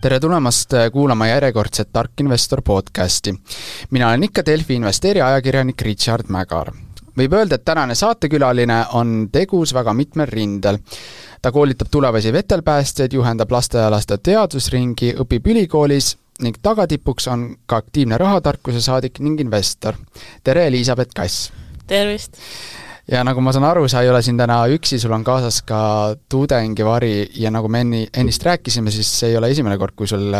Tere tulemast kuulama järjekordset Tark Investor podcasti. Mina olen ikka Delfi investeeri ajakirjanik Richard Mägar. Võib öelda, et tänane saatekülaline on tegus väga mitmel rindel. Ta koolitab tulevasi vetelpäästjaid, juhendab lasteaialaste teadusringi, õpib ülikoolis ning tagatipuks on ka aktiivne rahatarkuse saadik ning investor. Tere, Elisabeth Kass! Tervist! Ja nagu ma saan aru, sa ei ole siin täna üksi, sul on kaasas ka tudengivari ja nagu me ennist rääkisime, siis see ei ole esimene kord, kui sul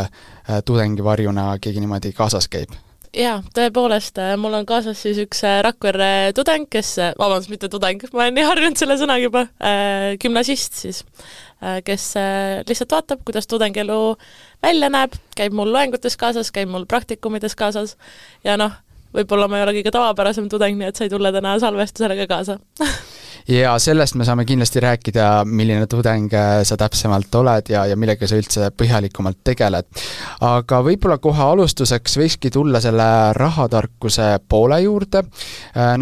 tudengivarjuna keegi niimoodi kaasas käib. Jaa, tõepoolest, mul on kaasas siis üks Rakvere tudeng, mitte tudeng, ma olen nii harjunud selle sõnaga juba, gümnasist siis, kes lihtsalt vaatab, kuidas tudengielu välja näeb, käib mul loengutes kaasas, käib mul praktikumides kaasas ja võib-olla ma ei ole kõige tavapärasem tudeng, nii et sai tulla täna salvestusele ka kaasa. Ja sellest me saame kindlasti rääkida, milline tudeng sa täpsemalt oled ja millega sa üldse põhjalikumalt tegeled. Aga võib-olla kohe alustuseks võikski tulla selle rahatarkuse poole juurde.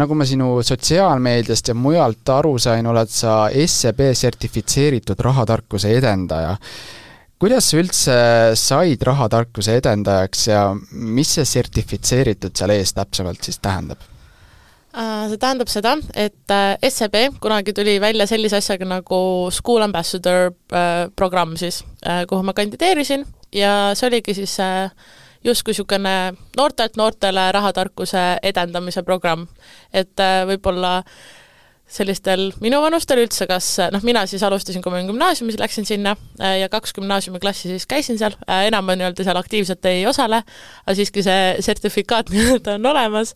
Nagu ma sinu sotsiaalmeediast ja mujalt aru sain, oled sa SEB sertifitseeritud rahatarkuse edendaja. Kuidas sa üldse said rahatarkuse edendajaks ja mis see sertifitseeritud seal ees täpsemalt siis tähendab? See tähendab seda, et SEB kunagi tuli välja sellise asjaga nagu School Ambassador programm siis, kuhu ma kandideerisin ja see oligi siis justkui niisugune noortele rahatarkuse edendamise programm, et võib-olla sellistel minu vanustel üldse, mina siis alustasin, kui ma gümnaasiumis läksin sinna ja 2 gümnaasiumiklassi siis käisin seal, enam ma seal aktiivselt ei osale, aga siiski see sertifikaat on olemas,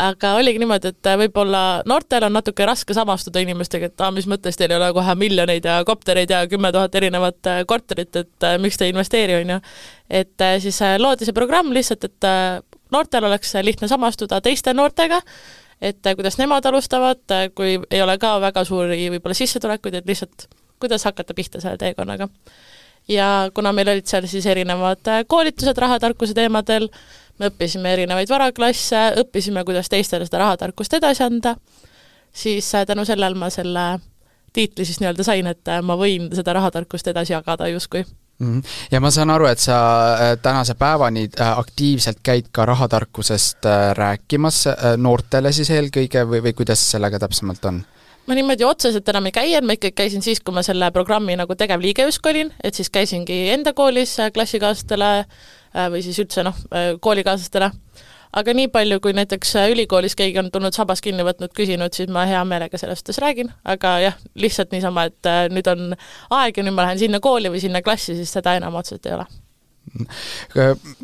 aga oligi niimoodi, et võib-olla noortel on natuke raske samastuda inimestega, et mis mõttes teil ei ole kohe miljoneid ja koptereid ja 10 000 erinevat korterit, et miks te investeeri, on ju. Et siis loodi see programm lihtsalt, et noortel oleks lihtne samastuda teiste noortega, et kuidas nemad alustavad, kui ei ole ka väga suuri võib-olla sissetulekuid, et lihtsalt kuidas hakata pihta selle teekonnaga. Ja kuna meil olid seal siis erinevad koolitused rahatarkuse teemadel, me õppisime erinevaid varaklasse, õppisime, kuidas teistele seda rahatarkust edasi anda, siis tänu sellel ma selle tiitli siis nii-öelda sain, et ma võin seda rahatarkust edasi jagada justkui. Ja ma saan aru, et sa tänase päevani aktiivselt käid ka rahatarkusest rääkimas noortele siis eelkõige või kuidas sellega täpsemalt on? Ma niimoodi otseselt enam ei käi, ma ikkagi käisin siis, kui ma selle programmi nagu tegevliige justkui olin, et siis käisingi enda koolis klassikaaslastele või siis üldse koolikaaslastele. Aga nii palju, kui näiteks ülikoolis keegi on tulnud sabas kinni võtnud, küsinud, siis ma hea meelega sellest räägin, aga jah, lihtsalt niisama, et nüüd on aeg ja nüüd ma lähen sinna kooli või sinna klassi, siis seda enam otseselt ei ole.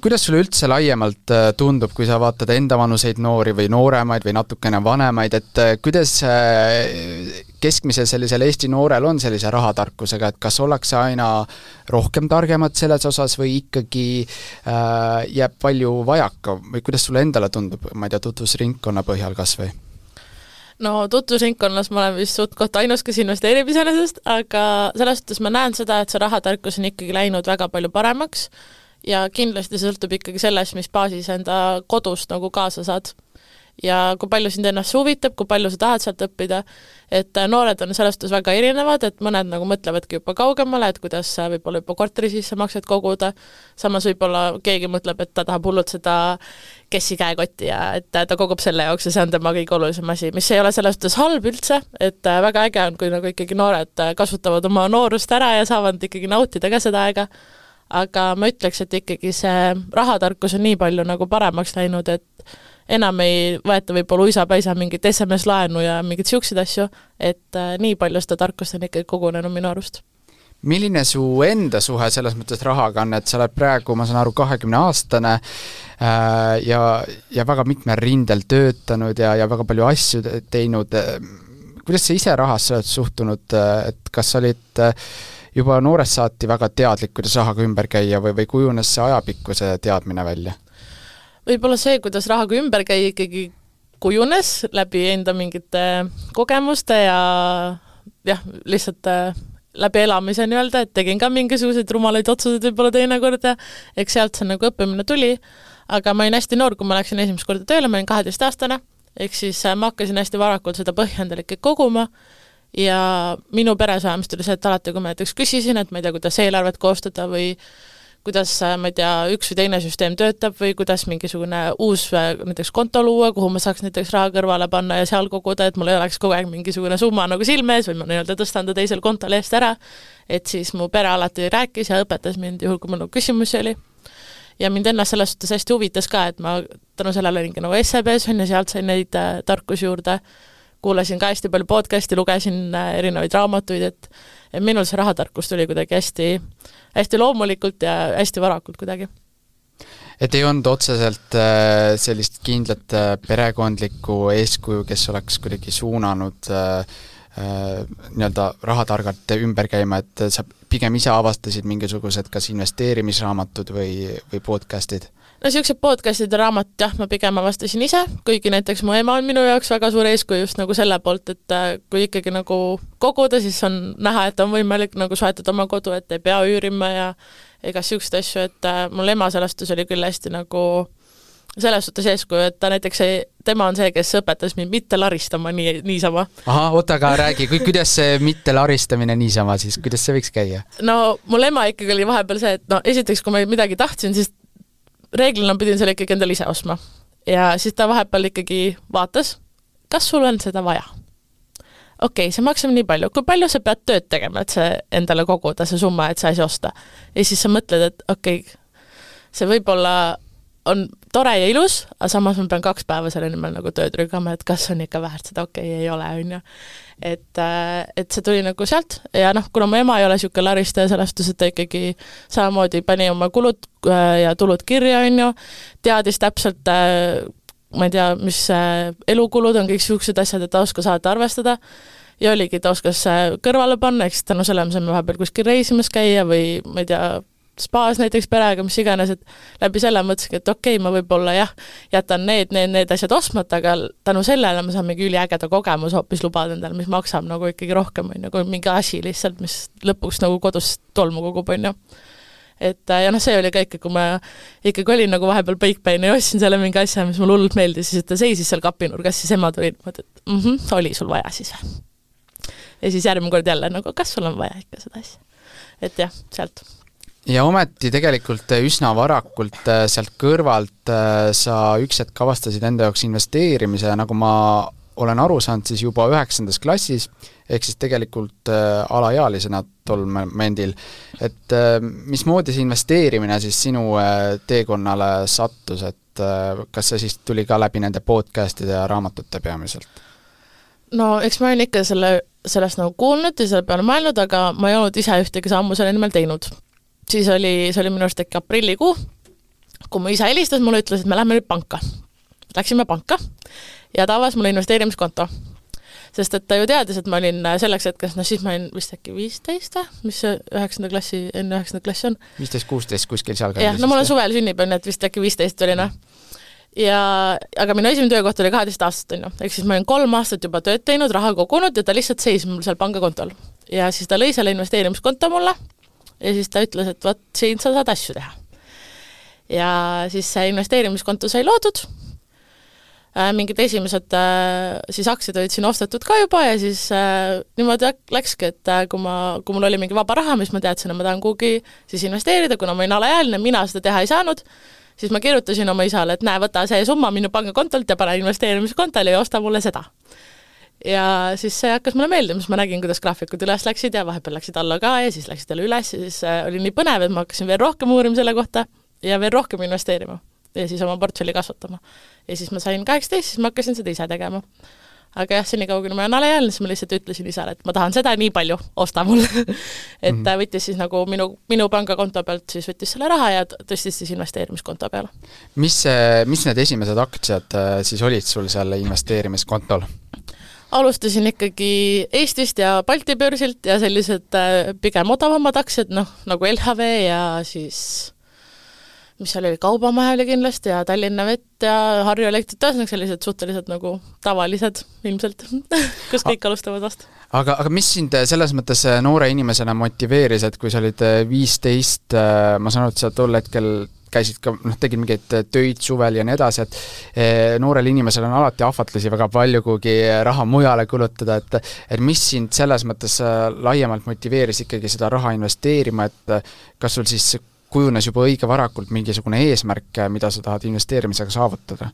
Kuidas sulle üldse laiemalt tundub, kui sa vaatad enda vanuseid noori või nooremaid või natukene vanemaid, et kuidas keskmise sellisel Eesti noorel on sellise rahatarkusega, et kas ollakse aina rohkem targemad selles osas või ikkagi jääb palju vajaka või kuidas sulle endale tundub, ma ei tea, tutvusringkonna põhjal kas või? No tutvusringkonnas ma olen vist suht ainus, kes investeerib iseenesest, aga selles suhtes ma näen seda, et see rahatarkus on ikkagi läinud väga palju paremaks ja kindlasti sõltub ikkagi sellest, mis baasis enda kodust nagu kaasa saad. Ja kui palju sind ennast huvitab, kui palju sa tahad sealt õppida, et noored on selles suhtes väga erinevad, et mõned nagu mõtlevadki juba kaugemale, et kuidas võib-olla juba korteri sisse maksed koguda, samas võib-olla keegi mõtleb, et ta tahab hullult seda kessi käekotti ja et ta kogub selle jaoks ja see on tema kõige olulisem asi, mis ei ole selles suhtes halb üldse, et väga äge on, kui nagu ikkagi noored kasutavad oma noorust ära ja saavad ikkagi nautida ka seda aega, aga ma ütleks, et ikkagi see rahatarkus on nii palju nagu paremaks läinud, et enam ei võeta võib-olla uisapäisa mingit SMS-laenu ja mingit siukseid asju, et nii palju seda tarkust on ikkagi kogunenud minu arust. Milline su enda suhe selles mõttes rahaga on, et sa oled praegu, ma saan aru, 20-aastane ja väga mitmel rindel töötanud ja väga palju asju teinud. Kuidas sa ise rahasse oled suhtunud, et kas olid juba noorest saati väga teadlik, kuidas rahaga ümber käia või kujunes see ajapikkuse teadmine välja? Võib-olla see, kuidas rahaga ümber käia ikkagi kujunes läbi enda mingite kogemuste ja lihtsalt läbi elamise nii-öelda, et tegin ka mingisuguseid rumalaid otsuseid võib-olla teinekord ja eks sealt see nagu õppimine tuli, aga ma olin hästi noor, kui ma läksin esimest korda tööle, ma olin 12-aastane, ehk siis ma hakkasin hästi varakult seda põhjendalikke koguma ja minu peres vähemasti oli see, et alati, kui ma näiteks küsisin, et ma ei tea, kuidas eelarvet koostada või kuidas, ma ei tea, üks või teine süsteem töötab või kuidas mingisugune uus näiteks konto luua, kuhu ma saaks näiteks raha kõrvale panna ja seal koguda, et mul ei oleks kogu aeg mingisugune summa nagu silme ees või ma nii-öelda tõstan ta teisel kontol eest ära, et siis mu pere alati rääkis ja õpetas mind juhul, kui mul nagu küsimusi oli. Ja mind ennast selles suhtes hästi huvitas ka, et ma tänu sellele olingi nagu SEB-s ja sealt sain neid tarkusi juurde, kuulasin ka hästi palju podcasti, lugesin erinevaid raamatuid, et minul see rahatarkus tuli kuidagi hästi loomulikult ja hästi varakult kuidagi. Et ei olnud otseselt sellist kindlat perekondlikku eeskuju, kes oleks kuidagi suunanud nii-öelda rahatargalt ümber käima, et sa pigem ise avastasid mingisugused kas investeerimisraamatud või podcastid? No niisugused podcastid ja raamat, jah, ma pigem avastasin ise, kuigi näiteks mu ema on minu jaoks väga suur eeskuju just nagu selle poolt, et kui ikkagi nagu koguda, siis on näha, et on võimalik nagu soetada oma kodu, et ei pea üürima ja ega niisugust asju, et mul ema sõnastus oli küll hästi nagu selles suhtes eeskuju, et ta näiteks tema on see, kes õpetas mind mitte laristama niisama. Aha, oota, aga räägi, kuidas see mitte laristamine niisama siis, kuidas see võiks käia? No mul ema ikkagi oli vahepeal see, et no esiteks, kui ma midagi tahtsin, siis reeglina pidin selle ikkagi endale ise ostma. Ja siis ta vahepeal ikkagi vaatas, kas sul on seda vaja? Okei, see maksab nii palju. Kui palju sa pead tööd tegema, et see endale koguda, see summa, et sa asi osta? Ja siis sa mõtled, et okei, see võib-olla on tore ja ilus, aga samas ma pean 2 päeva selle nimel nagu tööd rügama, et kas on ikka väärt seda, ei ole, on ju. Et see tuli nagu sealt ja kuna mu ema ei ole niisugune laristaja sõnastus, et ta ikkagi samamoodi pani oma kulud ja tulud kirja, on ju, teadis täpselt, ma ei tea, mis elukulud on kõik niisugused asjad, et ta oskas saada arvestada ja oligi, ta oskas kõrvale panna, eks tänu selle me saime vahepeal kuskil reisimas käia või ma ei tea, spaas näiteks perega, mis iganes, et läbi selle mõtlesin, et okei, ma võib-olla jah, jätan need asjad ostmata, aga tänu sellele ma saan mingi üliägeda kogemus hoopis lubada endale, mis maksab nagu ikkagi rohkem, on ju, kui mingi asi lihtsalt, mis lõpuks nagu kodus tolmu kogub, on ju. Et ja see oli ka ikka, kui ma ikkagi olin nagu vahepeal põikpäine ja ostsin selle mingi asja, mis mulle hullult meeldis, siis ta seisis seal kapinurgas, siis ema tuli, et oli sul vaja siis või? Ja siis järgmine kord jälle, nagu kas sul on vaja ikka seda asja? Et jah, sealt. Ja ometi tegelikult üsna varakult sealt kõrvalt sa üks hetk avastasid enda jaoks investeerimise ja nagu ma olen aru saanud, siis juba 9. klassis, ehk siis tegelikult alaealisena tol momendil, et mismoodi see investeerimine siis sinu teekonnale sattus, et kas see siis tuli ka läbi nende podcastide ja raamatute peamiselt? No eks ma olen ikka sellest nagu kuulnud ja selle peale mõelnud, aga ma ei olnud ise ühtegi sammu selle nimel teinud. Siis oli minu arust äkki aprillikuu, kui mu isa helistas, mulle ütles, et me lähme nüüd panka. Läksime panka ja ta avas mulle investeerimiskonto. Sest et ta ju teadis, et ma olin selleks hetkes, siis ma olin vist äkki 15, mis see 9. klassi, enne 9. klassi on. 15-16 kuskil seal. Jah, no mul on suvel sünnipäev, et vist äkki 15 oli. Aga minu esimene töökoht oli 12 aastat, on ju. Ehk siis ma olin 3 aastat juba tööd teinud, raha kogunud ja ta lihtsalt seis mul seal pangakontol. Ja siis ta lõi selle investeerimiskonto mulle ja siis ta ütles, et võt, siin sa saad asju teha. Ja siis see investeerimiskonto sai loodud, mingid esimesed siis aktsiad olid siin ostetud ka juba ja siis niimoodi läkski, et kui mul oli mingi vaba raha, mis ma teadsin, et ma tahan kuhugi siis investeerida, kuna ma olin alaealine, mina seda teha ei saanud, siis ma kirjutasin oma isale, et näe, võta see summa minu pangakontolt ja pane investeerimiskontole ja osta mulle seda. Ja siis see hakkas mulle meeldima, siis ma nägin, kuidas graafikud üles läksid ja vahepeal läksid alla ka ja siis läksid jälle üles ja siis oli nii põnev, et ma hakkasin veel rohkem uurima selle kohta ja veel rohkem investeerima ja siis oma portfelli kasvatama. Ja siis ma sain 18, siis ma hakkasin seda ise tegema. Aga jah, senikaua, kui ma olen alaealine, siis ma lihtsalt ütlesin isale, et ma tahan seda nii palju, osta mulle. Et ta võttis siis nagu minu pangakonto pealt, siis võttis selle raha ja tõstis siis investeerimiskonto peale. Mis need esimesed aktsiad siis olid sul seal investeerimiskontol? Alustasin ikkagi Eestist ja Balti börsilt ja sellised pigem odavamad aktsiad, nagu LHV ja siis mis seal oli, Kaubamaja oli kindlasti ja Tallinna Vett ja Harju Elektrit, sellised suhteliselt nagu tavalised ilmselt, kus kõik alustavad vast. Aga mis sind selles mõttes noore inimesena motiveeris, et kui sa olid 15, ma saan aru, et sa tol hetkel käisid ka, tegid mingeid töid suvel ja nii edasi, et noorel inimesel on alati ahvatlusi väga palju, kuigi raha mujale kulutada, et mis sind selles mõttes laiemalt motiveeris ikkagi seda raha investeerima, et kas sul siis kujunes juba õige varakult mingisugune eesmärk, mida sa tahad investeerimisega saavutada?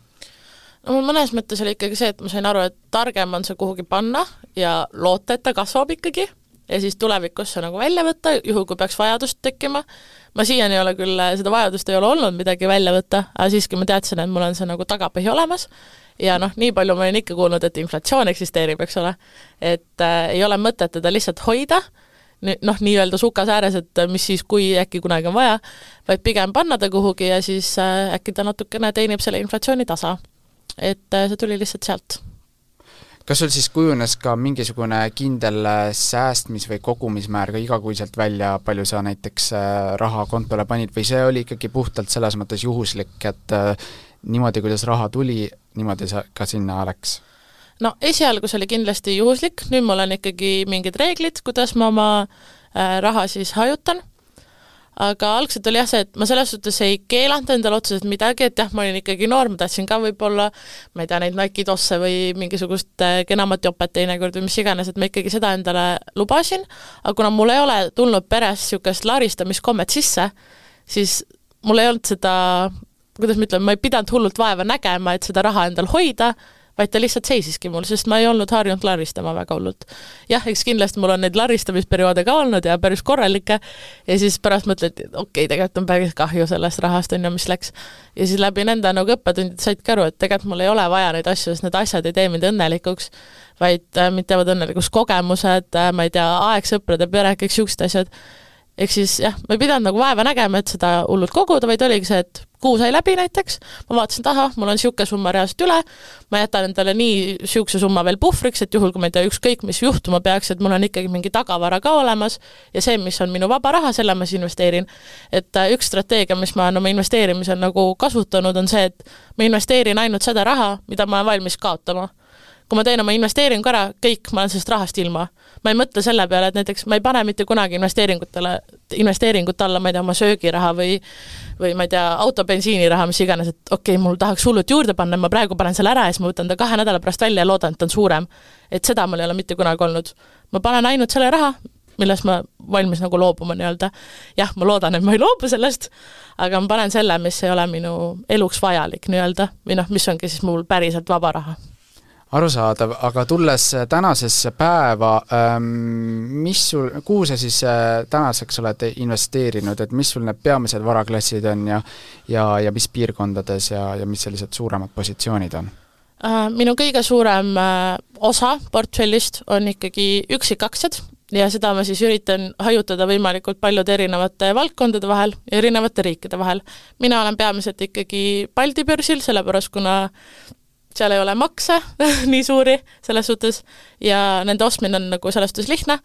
No mõnes mõttes oli ikkagi see, et ma sain aru, et targem on see kuhugi panna ja loota, et ta kasvab ikkagi ja siis tulevikus see nagu välja võtta, juhul kui peaks vajadust tekkima. Ma siiani ei ole küll, seda vajadust ei ole olnud midagi välja võtta, aga siiski ma teadsin, et mul on see nagu tagapõhi olemas ja nii palju ma olen ikka kuulnud, et inflatsioon eksisteerib, eks ole, et ei ole mõtet teda lihtsalt hoida, nii-öelda sukas ääres, et mis siis, kui äkki kunagi on vaja, vaid pigem panna ta kuhugi ja siis äkki ta natukene teenib selle inflatsiooni tasa. Et see tuli lihtsalt sealt. Kas sul siis kujunes ka mingisugune kindel säästmis- või kogumismäär ka igakuiselt välja, palju sa näiteks raha kontole panid või see oli ikkagi puhtalt selles mõttes juhuslik, et niimoodi, kuidas raha tuli, niimoodi sa ka sinna läks? No esialgu see oli kindlasti juhuslik, nüüd mul on ikkagi mingid reeglid, kuidas ma oma raha siis hajutan. Aga algselt oli jah see, et ma selles suhtes ei keelanud endale otseselt midagi, et jah, ma olin ikkagi noor, ma tahtsin ka võib-olla, ma ei tea, neid Nike tosse või mingisugust kenamat jopet teinekord või mis iganes, et ma ikkagi seda endale lubasin, aga kuna mul ei ole tulnud peres niisugust laristamiskommet sisse, siis mul ei olnud seda, kuidas ma ütlen, ma ei pidanud hullult vaeva nägema, et seda raha endal hoida, vaid ta lihtsalt seisiski mul, sest ma ei olnud harjunud laristama väga hullult. Jah, eks kindlasti mul on neid laristamisperioode ka olnud ja päris korralikke ja siis pärast mõtled, et okei, tegelikult on päris kahju sellest rahast, mis läks. Ja siis läbi nende nagu õppetundid saidki aru, et tegelikult mul ei ole vaja neid asju, sest need asjad ei tee mind õnnelikuks, vaid mind teevad õnnelikuks kogemused, ma ei tea, aeg, sõprade, pere, kõik siuksed asjad. Ehk siis jah, ma ei pidanud nagu vaeva nägema, et seda hullult koguda, vaid oligi see, et kuu sai läbi näiteks, ma vaatasin taha, mul on siuke summa reaalselt üle, ma jätan endale nii siukse summa veel puhvriks, et juhul, kui ma ei tea ükskõik, mis juhtuma peaks, et mul on ikkagi mingi tagavara ka olemas ja see, mis on minu vaba raha, selle ma siis investeerin. Et üks strateegia, mis ma olen oma investeerimisel nagu kasutanud, on see, et ma investeerin ainult seda raha, mida ma olen valmis kaotama. Kui ma teen oma investeeringu ära, kõik, ma olen sellest rahast ilma. Ma ei mõtle selle peale, et näiteks ma ei pane mitte kunagi investeeringut alla, ma ei tea, oma söögiraha või ma ei tea, autobensiiniraha, mis iganes, et okei, mul tahaks hullult juurde panna, ma praegu panen selle ära ja siis ma võtan ta 2 nädala pärast välja ja loodan, et ta on suurem. Et seda mul ei ole mitte kunagi olnud. Ma panen ainult selle raha, milles ma valmis nagu loobuma nii-öelda. Jah, ma loodan, et ma ei loobu sellest, aga ma panen selle, mis ei ole minu eluks vajalik nii-öelda, või mis ongi siis mul päriselt vaba raha. Arusaadav, aga tulles tänasesse päeva, kuhu sa siis tänaseks oled investeerinud, et mis sul need peamised varaklassid on ja mis piirkondades ja mis sellised suuremad positsioonid on? Minu kõige suurem osa portfellist on ikkagi üksikaktsiad ja seda ma siis üritan hajutada võimalikult paljude erinevate valdkondade vahel ja erinevate riikide vahel. Mina olen peamiselt ikkagi Balti börsil, sellepärast kuna seal ei ole makse nii suuri selles suhtes ja nende ostmine on nagu selles suhtes lihtne,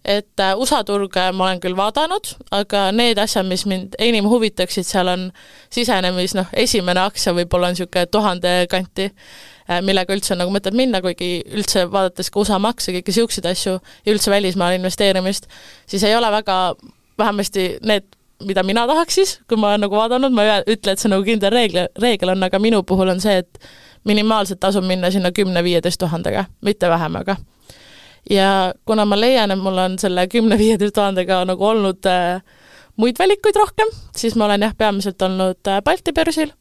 et USA turge ma olen küll vaadanud, aga need asjad, mis mind enim huvitaksid, seal on sisenemis, esimene aktsia võib-olla on niisugune 1000 kanti, millega üldse on nagu mõtet minna, kuigi üldse vaadates ka USA makse, kõiki siukseid asju ja üldse välismaal investeerimist, siis ei ole väga, vähemasti need mida mina tahaks siis, kui ma olen nagu vaadanud, ma ütlen, et see nagu kindel reegel on, aga minu puhul on see, et minimaalselt tasub minna sinna 10-15 000-ga, mitte vähemaga. Ja kuna ma leian, et mul on selle 10-15 000-ga nagu olnud muid valikuid rohkem, siis ma olen peamiselt olnud Balti börsil,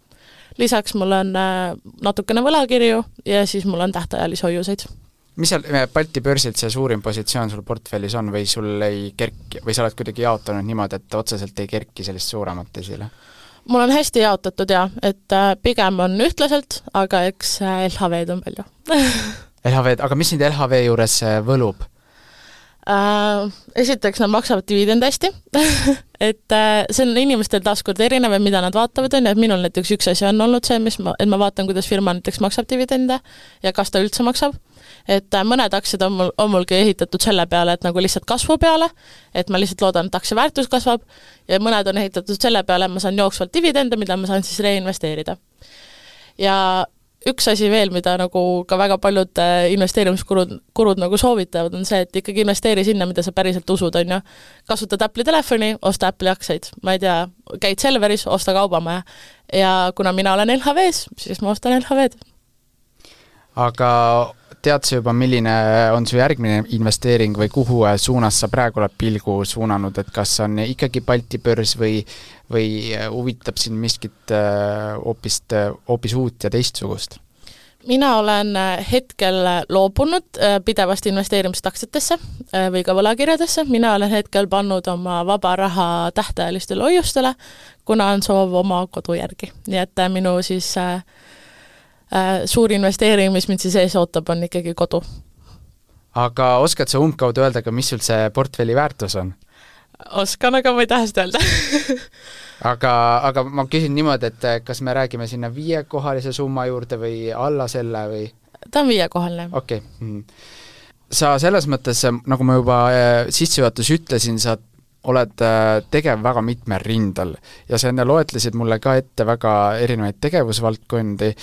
lisaks mul on natukene võlakirju ja siis mul on tähtajalisi hoiuseid. Mis seal Balti börsilt see suurim positsioon sul portfellis on või sul ei kerki, või sa oled kuidagi jaotanud niimoodi, et otseselt ei kerki sellist suuremat esile? Mul on hästi jaotatud et pigem on ühtlaselt, aga eks LHV-d on palju. LHV-d, aga mis nüüd LHV juures võlub? Esiteks nad maksavad dividend hästi, et see on inimestel taaskord erinev, mida nad vaatavad, et minul näiteks üks asi on olnud see, et ma vaatan, kuidas firma näiteks maksab dividende ja kas ta üldse maksab. Et mõned aktsiad on mulgi ehitatud selle peale, et nagu lihtsalt kasvu peale, et ma lihtsalt loodan, et aktsia väärtus kasvab ja mõned on ehitatud selle peale, et ma saan jooksvalt dividende, mida ma saan siis reinvesteerida. Ja üks asi veel, mida nagu ka väga paljud investeerimiskurud nagu soovitavad, on see, et ikkagi investeeri sinna, mida sa päriselt usud, on ju. Kasutad Apple'i telefoni, osta Apple'i aktsiaid. Ma ei tea, käid Selveris, osta kaubamaja. Ja kuna mina olen LHV-s, siis ma ostan LHV-d. Aga tead sa juba, milline on su järgmine investeering või kuhu suunas sa praegu oled pilgu suunanud, et kas on ikkagi Balti börs või huvitab sind miskit hoopis uut ja teistsugust? Mina olen hetkel loobunud pidevast investeerimist aktsiatesse või ka võlakirjadesse. Mina olen hetkel pannud oma vaba raha tähtajalistele hoiustele, kuna on soov oma kodu järgi. Nii et minu siis suur investeering, mis mind siis ees ootab, on ikkagi kodu. Aga oskad sa umbkaudu öelda, mis sul see portfelli väärtus on? Oskan, aga ma ei taha seda öelda. aga ma küsin niimoodi, et kas me räägime sinna 5-kohalise summa juurde või alla selle või? Ta on 5-kohaline. Okei. Sa selles mõttes, nagu ma juba sissejuhatus ütlesin, sa oled tegev väga mitmel rindel ja sa enne loetlesid mulle ka ette väga erinevaid tegevusvaldkondi.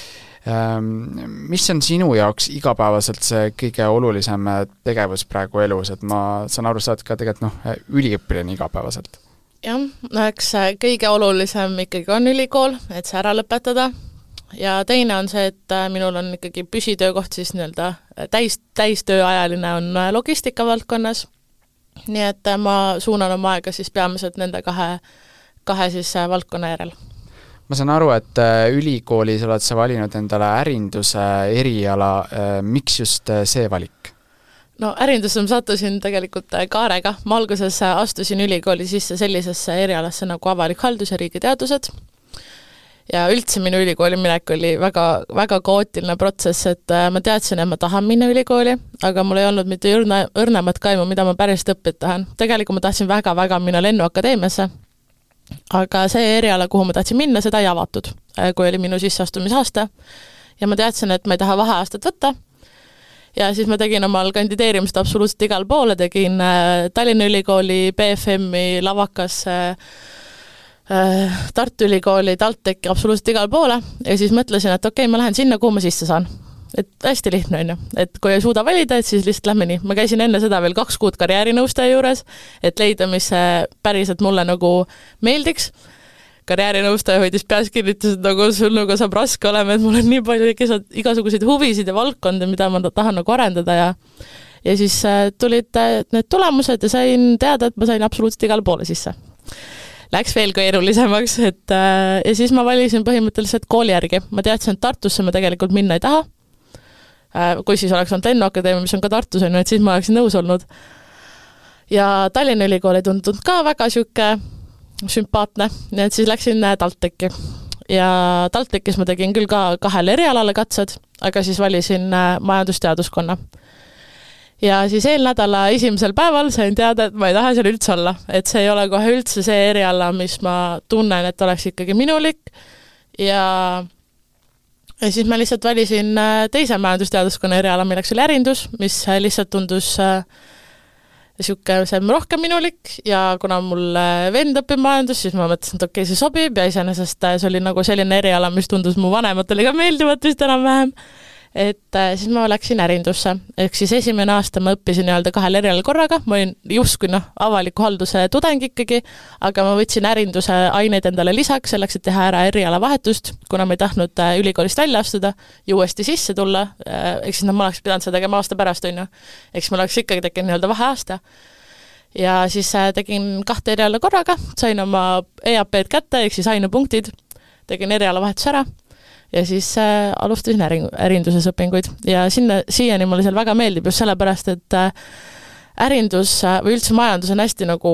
Mis on sinu jaoks igapäevaselt see kõige olulisem tegevus praegu elus, et ma saan aru, saad ka tegelikult üliõpilane igapäevaselt? Jah, eks kõige olulisem ikkagi on ülikool, et see ära lõpetada ja teine on see, et minul on ikkagi püsitöökoht siis nii-öelda täistööajaline on logistika valdkonnas, nii et ma suunan oma aega siis peamiselt nende kahe siis valdkonna järel. Ma saan aru, et ülikoolis oled sa valinud endale ärinduse eriala, miks just see valik? No ärindusse ma sattusin tegelikult kaarega. Ma alguses astusin ülikooli sisse sellisesse erialasse nagu avalik haldus ja riigiteadused. Ja üldse minu ülikooli minek oli väga, väga kaootiline protsess, et ma teadsin, et ma tahan minna ülikooli, aga mul ei olnud mitte õrnemat kaimu, mida ma päriselt õppida tahan. Tegelikult ma tahtsin väga minna lennuakadeemiasse, aga see eriala, kuhu ma tahtsin minna, seda ei avatud, kui oli minu sisseastumisaasta. Ja ma teadsin, et ma ei taha vaheaastat võtta. Ja siis ma tegin omal kandideerimist absoluutselt igal poole, tegin Tallinna Ülikooli, BFM-i, Lavakas, Tartu Ülikooli, TalTechi, absoluutselt igal poole ja siis mõtlesin, et okei, ma lähen sinna, kuhu ma sisse saan. Et hästi lihtne on ju, et kui ei suuda valida, et siis lihtsalt lähme nii. Ma käisin enne seda veel 2 kuud karjäärinõustaja juures, et leida, mis päriselt mulle nagu meeldiks. Karjäärinõustaja hoidis peas kinnitas, et nagu sul nagu saab raske olema, et mul on nii palju igasuguseid huvisid ja valdkonda, mida ma tahan nagu arendada ja siis tulid need tulemused ja sain teada, et ma sain absoluutselt igale poole sisse. Läks veel keerulisemaks, ja siis ma valisin põhimõtteliselt kooli järgi. Ma teadsin, et Tartusse ma tegelikult minna ei taha. Kui siis oleks olnud lennuakadeemia, mis on ka Tartus, et siis ma oleksin nõus olnud. Ja Tallinna Ülikool ei tundunud ka väga süke sümpaatne, nii et siis läksin TalTechi. Ja TalTechis ma tegin küll ka 2 erialale katsed, aga siis valisin majandusteaduskonna. Ja siis eelnädala esimesel päeval sain teada, et ma ei taha seal üldse olla, et see ei ole kohe üldse see eriala, mis ma tunnen, et oleks ikkagi minulik ja siis ma lihtsalt valisin teise majandusteaduskonna eriala, milleks oli ärindus, mis lihtsalt tundus see rohkem minulik ja kuna mul vend õpib majandus, siis ma mõtlesin, et okei, see sobib ja iseenesest see oli nagu selline eriala, mis tundus mu vanematele ka meeldivat vist enam-vähem, et siis ma läksin ärindusse. Ehk siis esimene aasta ma õppisin 2 erialal korraga, ma olin justkui avaliku halduse tudeng ikkagi, aga ma võtsin ärinduse aineid endale lisaks, selleks, et teha ära eriala vahetust, kuna ma ei tahtnud ülikoolist välja astuda ja uuesti sisse tulla, eks siis ma oleks pidanud seda tegema aasta pärast, eks ma oleks ikkagi tekkinud vaheaasta. Ja siis tegin 2 eriala korraga, sain oma EAP-d kätte, ehk siis ainepunktid, tegin eriala vahetus ära ja siis alustasin ärinduses õpinguid ja siiani mulle seal väga meeldib just sellepärast, et ärindus või üldse majandus on hästi nagu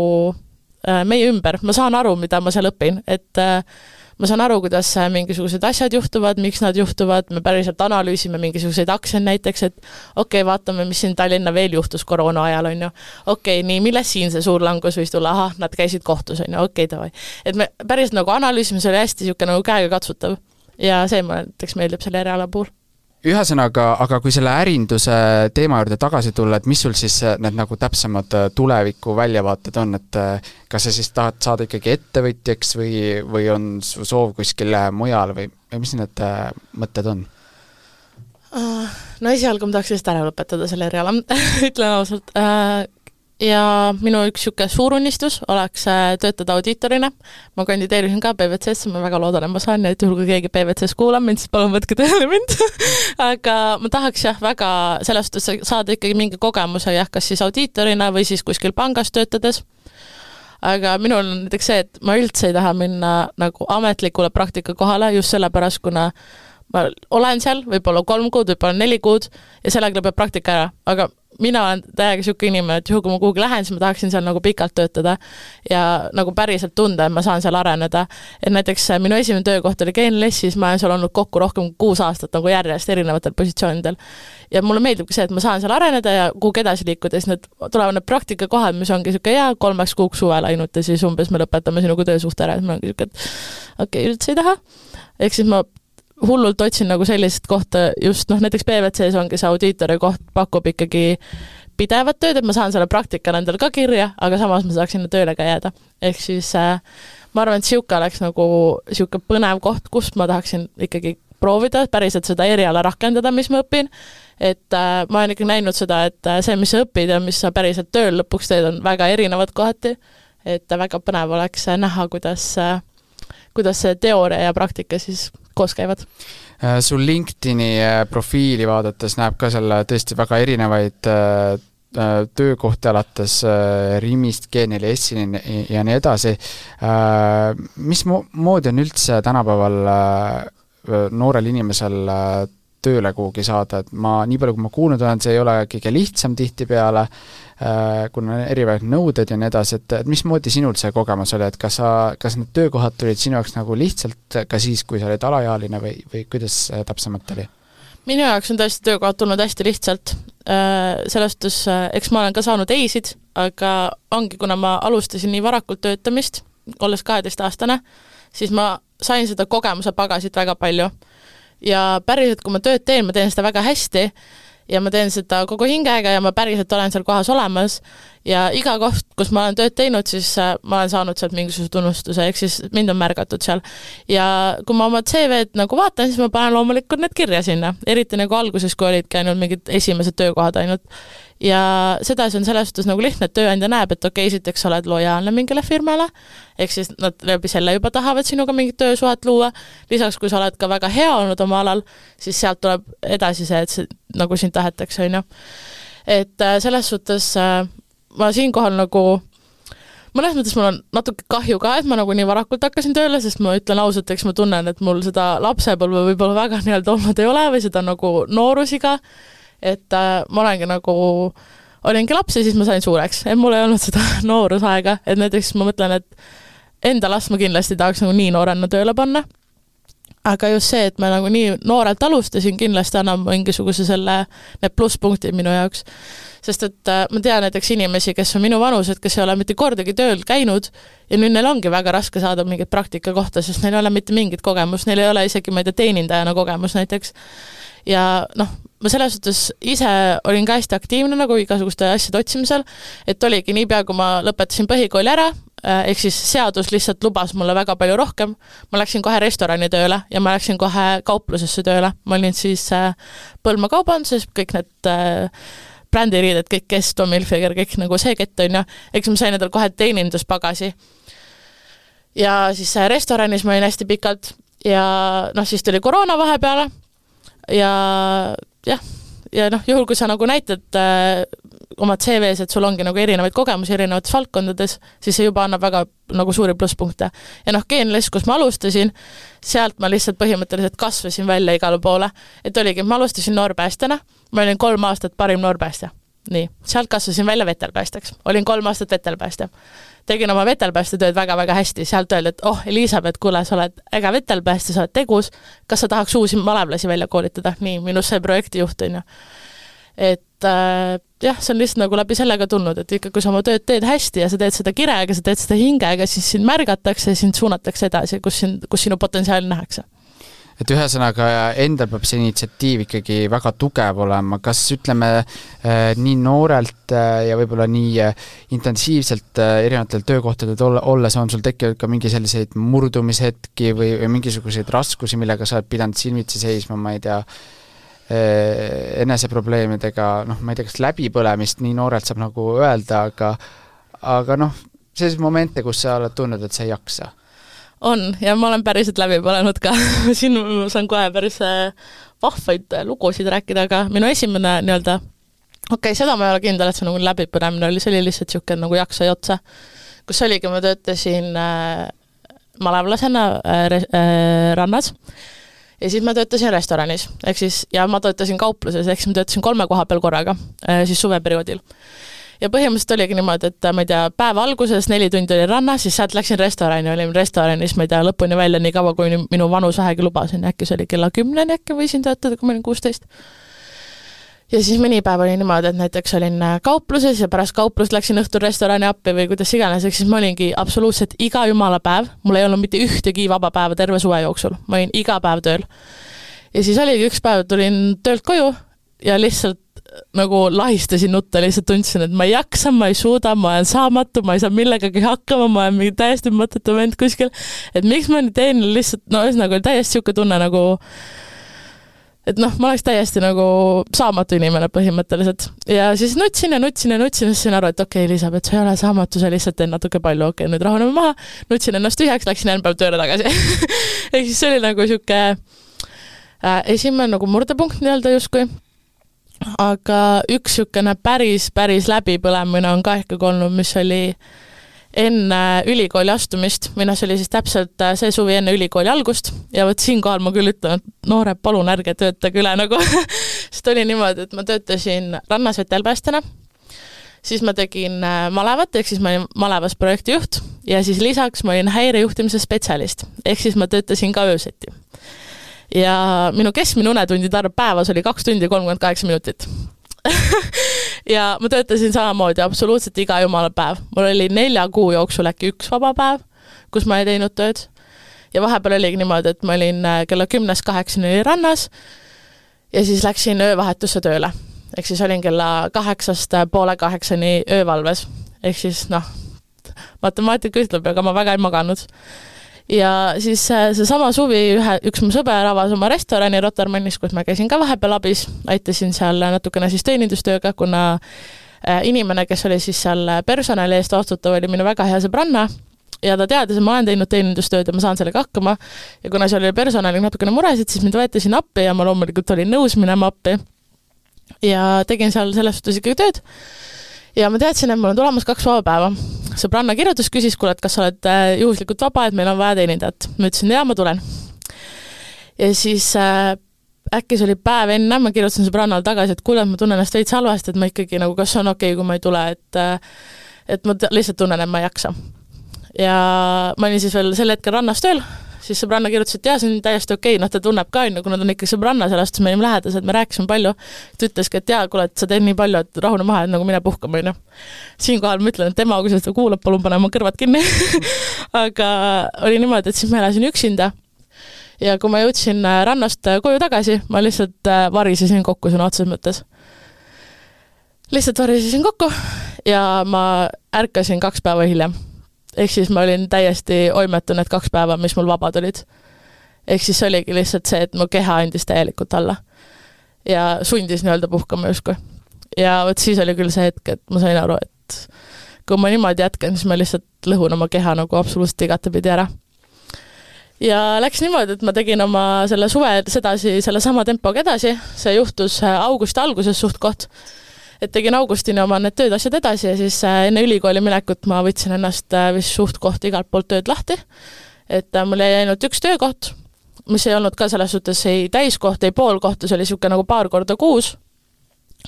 meie ümber. Ma saan aru, mida ma seal õpin, et ma saan aru, kuidas mingisugused asjad juhtuvad, miks nad juhtuvad, me päriselt analüüsime mingisuguseid aktsiaid näiteks, et okei, vaatame, mis siin Tallinna veel juhtus koroona ajal, on ju. Okei, nii, milles siin see suur langus võis tulla? Aha, nad käisid kohtus, on ju, okei, tavai. Et me päriselt nagu analüüsime, see oli hästi siuke nagu käega katsutav ja see mulle näiteks meeldib selle eriala puhul. Ühesõnaga, aga kui selle ärinduse teema juurde tagasi tulla, et mis sul siis need nagu täpsemad tuleviku väljavaated on, et kas sa siis tahad saada ikkagi ettevõtjaks või on su soov kuskil mujal või mis need mõtted on? No esialgu ma tahaks lihtsalt ära lõpetada selle eriala, ütlen ausalt. ja minu üks niisugune suur unistus oleks töötada audiitorina. Ma kandideerisin ka PVC-sse, ma väga loodan, et ma saan, et juhul kui keegi PVC-s kuulab mind, siis palun võtke tööle mind. Aga ma tahaks väga sellest saada ikkagi mingi kogemuse, kas siis audiitorina või siis kuskil pangas töötades. Aga minul on näiteks see, et ma üldse ei taha minna nagu ametlikule praktika kohale just sellepärast, kuna ma olen seal võib-olla 3 kuud, võib-olla 4 kuud ja sellega peab praktika ära, aga mina olen täiega niisugune inimene, et juhul kui ma kuhugi lähen, siis ma tahaksin seal nagu pikalt töötada ja nagu päriselt tunda, et ma saan seal areneda. Et näiteks minu esimene töökoht oli GNLS-is, ma olen seal olnud kokku rohkem 6 aastat nagu järjest erinevatel positsioonidel. Ja mulle meeldibki see, et ma saan seal areneda ja kuhugi edasi liikuda, siis need tulevad need praktikakohad, mis ongi niisugune 3 kuuks suvel ainult ja siis umbes me lõpetame sinuga töösuhte ära, siis ma ongi niisugune, et okei, üldse ei taha. Ehk siis ma hullult otsin nagu sellist kohta just, näiteks PVC-s ongi see audiitori koht, pakub ikkagi pidevat tööd, et ma saan selle praktika endale ka kirja, aga samas ma saaks sinna tööle ka jääda. Ehk siis ma arvan, et siuke oleks nagu siuke põnev koht, kust ma tahaksin ikkagi proovida, päriselt seda eriala rakendada, mis ma õpin. Et ma olen ikka näinud seda, et see, mis sa õpid ja mis sa päriselt tööl lõpuks teed, on väga erinevad kohati. Et väga põnev oleks näha, kuidas see teooria ja praktika siis koos käivad. Sul LinkedIni profiili vaadates näeb ka selle tõesti väga erinevaid töökohti alates Rimist, GNLS-ini ja nii edasi. Mis moodi on üldse tänapäeval noorel inimesel tööle kuhugi saada, et ma nii palju, kui ma kuulnud olen, see ei ole kõige lihtsam tihtipeale, kuna erinevad nõuded ja nii edasi, et mismoodi sinul see kogemus oli, et kas need töökohad tulid sinu jaoks nagu lihtsalt ka siis, kui sa olid alaealine või kuidas täpsemalt oli? Minu jaoks on tõesti töökohad tulnud hästi lihtsalt. Sellest, eks ma olen ka saanud eisid, aga ongi, kuna ma alustasin nii varakult töötamist, olles 12-aastane, siis ma sain seda kogemuse pagasit väga palju. Ja päriselt, kui ma tööd teen, ma teen seda väga hästi ja ma teen seda kogu hingega ja ma päriselt olen seal kohas olemas ja iga koht, kus ma olen tööd teinud, siis ma olen saanud sealt mingisuguse tunnustuse, ehk siis mind on märgatud seal. Ja kui ma oma CV-d nagu vaatan, siis ma panen loomulikult need kirja sinna, eriti nagu alguses, kui olid käinud mingid esimesed töökohad ainult. Ja sedasi on selles suhtes nagu lihtne, et tööandja näeb, et okei, esiteks oled lojaalne mingile firmale, ehk siis nad läbi selle juba tahavad sinuga mingit töösuhet luua. Lisaks, kui sa oled ka väga hea olnud oma alal, siis sealt tuleb edasi see, et see, nagu sind tahetakse, on ju. Et selles suhtes ma siinkohal nagu, mõnes mõttes mul on natuke kahju ka, et ma nagu nii varakult hakkasin tööle, sest ma ütlen ausalt, eks ma tunnen, et mul seda lapsepõlve võib-olla väga nii-öelda olnud ei ole või seda nagu noorusiga, et ma olingi laps ja siis ma sain suureks, et mul ei olnud seda noorusaega, et näiteks ma mõtlen, et enda last ma kindlasti tahaks nagu nii noorena tööle panna, aga just see, et ma nagu nii noorelt alustasin, kindlasti annab mingisuguse need plusspunktid minu jaoks, sest et ma tean näiteks inimesi, kes on minu vanused, kes ei ole mitte kordagi tööl käinud ja nüüd neil ongi väga raske saada mingit praktika kohta, sest neil ei ole mitte mingit kogemust, neil ei ole isegi, ma ei tea, teenindajana kogemus näiteks. Ja ma selles suhtes ise olin ka hästi aktiivne nagu igasuguste asjade otsimisel, et oligi niipea, kui ma lõpetasin põhikooli ära, ehk siis seadus lihtsalt lubas mulle väga palju rohkem, ma läksin kohe restorani tööle ja ma läksin kohe kauplusesse tööle, ma olin siis Põlma kaubanduses, kõik need brändiriided, kõik Kes, Tommy Hilfiger, kõik nagu see kett on ja eks ma sain endal kohe teeninduspagasi ja siis restoranis ma olin hästi pikalt ja siis tuli koroona vahepeale ja juhul, kui sa nagu näitad oma CV-s, et sul ongi nagu erinevaid kogemusi erinevates valdkondades, siis see juba annab väga nagu suuri plusspunkte. Ja GNLS, kus ma alustasin, sealt ma lihtsalt põhimõtteliselt kasvasin välja igale poole, et oligi, ma alustasin noorpäästjana, ma olin 3 aastat parim noorpäästja. Nii, sealt kasvasin välja vetelpäästjaks, olin 3 aastat vetelpäästja. Tegin oma vetelpäästetööd väga-väga hästi, sealt öeldi, et Elisabeth, kuule, sa oled äge vetelpäästja, sa oled tegus, kas sa tahaks uusi malevlasi välja koolitada? Nii, minust sai projektijuht on ju. Et see on lihtsalt nagu läbi sellega tulnud, et ikka kui sa oma tööd teed hästi ja sa teed seda kirega, sa teed seda hingega, siis sind märgatakse ja sind suunatakse edasi, kus sinu potentsiaali nähakse. Et ühesõnaga endal peab see initsiatiiv ikkagi väga tugev olema, kas ütleme nii noorelt ja võib-olla nii intensiivselt erinevatel töökohtadel olles on sul tekkinud ka mingi selliseid murdumishetki või mingisuguseid raskusi, millega sa oled pidanud silmitsi seisma, ma ei tea, eneseprobleemidega, ma ei tea, kas läbipõlemist nii noorelt saab nagu öelda, aga selliseid momente, kus sa oled tundnud, et sa ei jaksa. On, ja ma olen päriselt läbi põlenud ka. Siin saan kohe päris vahvaid lugusid rääkida, aga minu esimene nii-öelda, seda ma ei ole kindel, et see nagu läbipõlemine oli, see oli lihtsalt siuke nagu jaksa ja otsa, kus oligi, ma töötasin malevlasena rannas ja siis ma töötasin restoranis, ja ma töötasin kaupluses, ehk siis ma töötasin 3 koha peal korraga, siis suveperioodil. Ja põhimõtteliselt oligi niimoodi, et ma ei tea, päeva alguses 4 tundi oli rannas, siis sealt läksin restorani, olin restoranis, ma ei tea, lõpuni välja nii kaua, kui minu vanus vähegi lubasin, äkki see oli kella 10 äkki võisin töötada, kui ma olin 16. Ja siis mõni päev oli niimoodi, et näiteks olin kaupluses ja pärast kauplust läksin õhtul restorani appi või kuidas iganes, siis ma olingi absoluutselt iga jumala päev, mul ei olnud mitte ühtegi vaba päeva terve suve jooksul, ma olin iga päev tööl. Ja siis oligi üks päev, tulin töölt koju ja lihtsalt nagu lahistasin nutta, lihtsalt tundsin, et ma ei jaksa, ma ei suuda, ma olen saamatu, ma ei saa millegagi hakkama, ma olen mingi täiesti mõttetu vend kuskil, et miks ma nüüd teen lihtsalt, ühesõnaga oli täiesti siuke tunne nagu, et ma oleks täiesti nagu saamatu inimene põhimõtteliselt. Ja siis nutsin, siis sain aru, et okei, Elisabeth, sa ei ole saamatu, sa lihtsalt teen natuke palju, nüüd rahuneme maha, nutsin ennast tühjaks, läksin järgmine päev tööle tagasi. Ehk siis see oli nagu siuke esimene nagu murdepunkt nii-öelda justkui. Aga üks siukene päris läbipõlemine on ka ikkagi olnud, mis oli enne ülikooli astumist, mina see oli siis täpselt see suvi enne ülikooli algust ja võt siinkohal ma küll ütlen, et noored, palun ärge töötage üle nagu, sest oli niimoodi, et ma töötasin rannas vetelpäästjana, siis ma tegin malevat, ehk siis ma olin malevas projektijuht ja siis lisaks ma olin häirejuhtimise spetsialist, ehk siis ma töötasin ka ööseti. Ja minu keskmine unetundide arv päevas oli 2 tundi 38 minutit. Ja ma töötasin samamoodi absoluutselt iga jumala päev. Mul oli 4 kuu jooksul äkki 1 vaba päev, kus ma ei teinud tööd. Ja vahepeal oligi niimoodi, et ma olin kella 10-8 rannas ja siis läksin öövahetusse tööle. Ehk siis olin kella 8:30 öövalves. Ehk siis matemaatika ütleb, aga ma väga ei maganud. Ja siis see sama suvi üks mu sõber avas oma restorani Rotermannis, kus ma käisin ka vahepeal abis, aitasin seal natukene siis teenindustööga, kuna inimene, kes oli siis seal personali eest vastutav, oli minu väga hea sõbranna ja ta teadis, et ma olen teinud teenindustööd ja ma saan sellega hakkama ja kuna seal oli personali natukene muresid, siis mind võeti siin appi ja ma loomulikult olin nõus minema appi ja tegin seal selles suhtes ikkagi tööd. Ja ma teadsin, et mul on tulemas 2 vaba päeva. Sõbranna kirjutas, küsis, kuule, et kas sa oled juhuslikult vaba, et meil on vaja teenindajat. Ma ütlesin, jaa, ma tulen. Ja siis äkki see oli päev enne, ma kirjutasin sõbrannal tagasi, et kuule, ma tunnen ennast veits halvasti, et ma ikkagi nagu, kas on okei, kui ma ei tule, et ma lihtsalt tunnen, et ma ei jaksa. Ja ma olin siis veel sel hetkel rannas tööl, siis sõbranna kirjutas, et jah, see on täiesti okei, ta tunneb ka, kuna ta on ikka sõbranna sellest, me olime lähedased, me rääkisime palju, ta ütleski, et jah, kuule, et sa teed nii palju, et rahune maha, et nagu mine puhkama. Siinkohal ma ütlen, et tema, kui seda kuulab, palun pane oma kõrvad kinni. Aga oli niimoodi, et siis ma elasin üksinda ja kui ma jõudsin rannast koju tagasi, ma lihtsalt varisesin kokku sõna otseses mõttes. Lihtsalt varisesin kokku ja ma ärkasin 2 päeva hiljem. Ehk siis ma olin täiesti oimetu need 2 päeva, mis mul vabad olid. Ehk siis oligi lihtsalt see, et mu keha andis täielikult alla. Ja sundis nii-öelda puhkama justkui. Ja võt siis oli küll see hetk, et ma sain aru, et kui ma niimoodi jätkan, siis ma lihtsalt lõhun oma keha nagu absoluutselt igatepidi ära. Ja läks niimoodi, et ma tegin oma selle suve sedasi, selle sama tempoga edasi. See juhtus augusti alguses suht koht. Et tegin augustini oma need tööd asjad edasi ja siis enne ülikooli minekut ma võtsin ennast vist suht koht igalt poolt tööd lahti. Et mul jäi ainult 1 töökoht, mis ei olnud ka selles suhtes ei täiskoht, ei pool kohta, see oli siuke nagu 2 korda kuus.